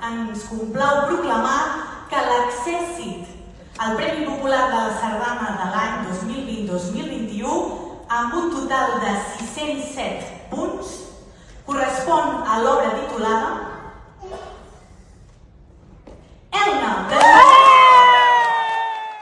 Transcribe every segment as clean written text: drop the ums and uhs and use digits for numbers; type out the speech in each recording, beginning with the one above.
ens complau proclamar que l'accèssit al Premi Popular de la Sardana de l'any 2020-2021, amb un total de 607 punts, correspon a l'obra titulada Elna.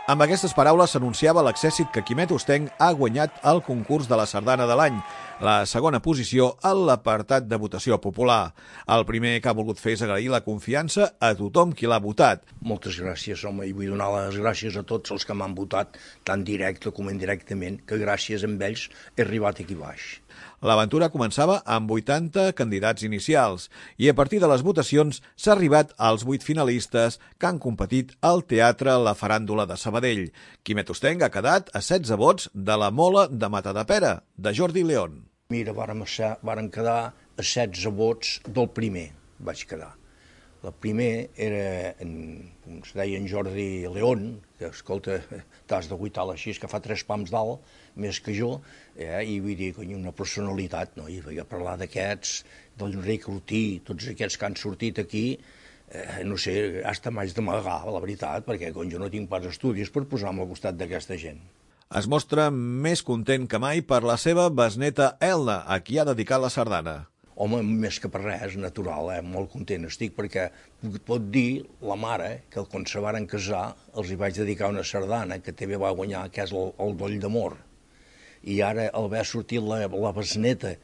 Amb aquestes paraules s'anunciava l'accèssit que Quimet Hostenc ha guanyat el concurs de la Sardana de l'any, la segona posició en l'apartat de votació popular. El primer que ha volgut fer és agrair la confiança a tothom qui l'ha votat. Moltes gràcies, home, i vull donar les gràcies a tots els que m'han votat, tant directe com indirectament, que gràcies a ells he arribat aquí baix. L'aventura començava amb 80 candidats inicials i a partir de les votacions s'ha arribat als 8 finalistes que han competit al Teatre La Faràndula de Sabadell. Quimet Hostenc ha quedat a 16 vots de La Mola de Matadepera, de Jordi León. Mira, vàrem quedar a 16 vots del primer, vaig quedar. El primer era, com es deia, en Jordi León, que, escolta, t'has de guitar així, que fa 3 pams d'alt, més que jo, i vull dir, una personalitat, no? I vaig parlar d'aquests, d'Enric Ortí, tots aquests que han sortit aquí, no sé, hasta m'haig d'amagar, la veritat, perquè jo no tinc pas estudis per posar-me al costat d'aquesta gent. Es mostra més content que mai per la seva besneta Elna, a qui ha dedicat la sardana. Home, més que per res, natural, molt content estic, perquè pot dir la mare que quan se varen casar els hi vaig dedicar una sardana que també va guanyar, que és el Doll d'Amor. I ara, al haver sortit la besneta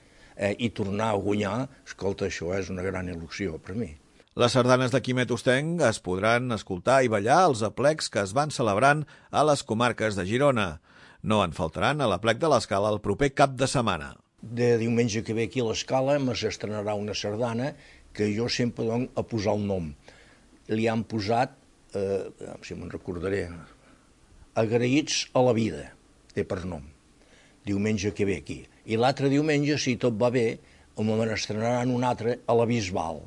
i tornar a guanyar, escolta, això és una gran il·lusió per mi. Les sardanes de Quimet Hostenc es podran escoltar i ballar als aplecs que es van celebrant a les comarques de Girona. No en faltaran a l'aplec de l'Escala el proper cap de setmana. De diumenge que ve aquí a l'Escala s'estrenarà una sardana que jo sempre dono a posar el nom. Li han posat, si me'n recordaré, Agraïts a la vida, té per nom, diumenge que ve aquí. I l'altre diumenge, si tot va bé, me n'estrenaran un altre a la Bisbal,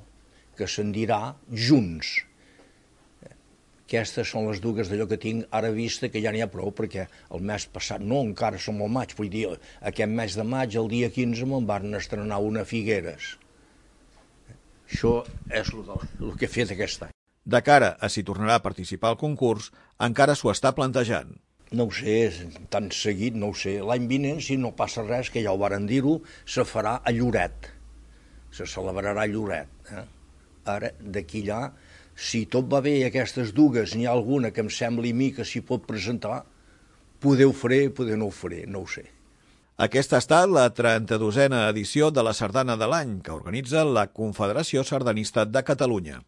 que se'n dirà Junts. Aquestes són les dues d'allò que tinc ara vista, que ja n'hi ha prou, perquè el mes passat, no, encara som al maig, vull dir, aquest mes de maig, el dia 15, me'n van estrenar una a Figueres. Això és el que he fet aquest any. De cara a si tornarà a participar al concurs, encara s'ho està plantejant. No ho sé, tan seguit, no ho sé. L'any vinent, si no passa res, que ja ho varen dir-ho, se farà a Lloret. Se celebrarà a Lloret. Ara, d'aquí allà, si tot va bé i aquestes dues, n'hi ha alguna que em sembli a mi que s'hi pot presentar, poder ho faré, poder no ho faré, no ho sé. Aquesta ha estat la 32a edició de la Sardana de l'any, que organitza la Confederació Sardanista de Catalunya.